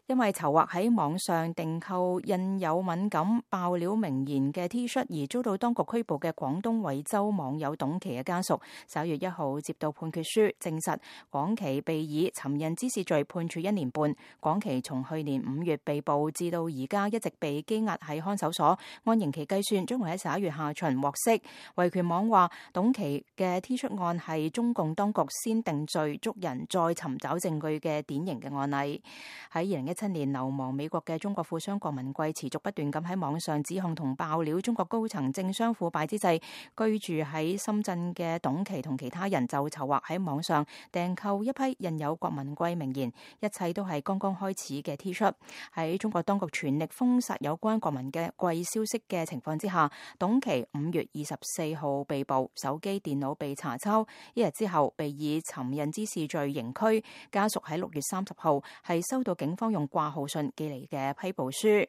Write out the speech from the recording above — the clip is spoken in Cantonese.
因為籌劃喺網上訂購印有敏感爆料名言嘅 T 恤而遭到當局拘捕嘅廣東惠州網友董琪嘅家屬，11月1號接到判決書，證實廣琪被以尋釁滋事罪判處1年半。廣琪從去年5月被捕至到而家一直被羈押喺看守所，按刑期計算，將會喺11月下旬獲釋。維權網話，董琪嘅 T 恤案係中共當局先定罪捉人再尋找證據嘅典型嘅案例。喺2017年流亡美國嘅中國富商郭文貴持續不斷咁喺網上指控同爆料中國高層政商腐敗之際，居住喺深圳嘅董琪同其他人就籌劃喺網上訂購一批印有郭文貴名言，一切都係剛剛開始嘅 T 恤。喺中國當局全力封殺有關郭文嘅貴消息嘅情況之下，董琪5月24號被捕，手機電腦被查抄，一日之後被以尋釁滋事罪刑拘。家屬喺6月30號係收到警方用掛號信寄嚟嘅批捕書。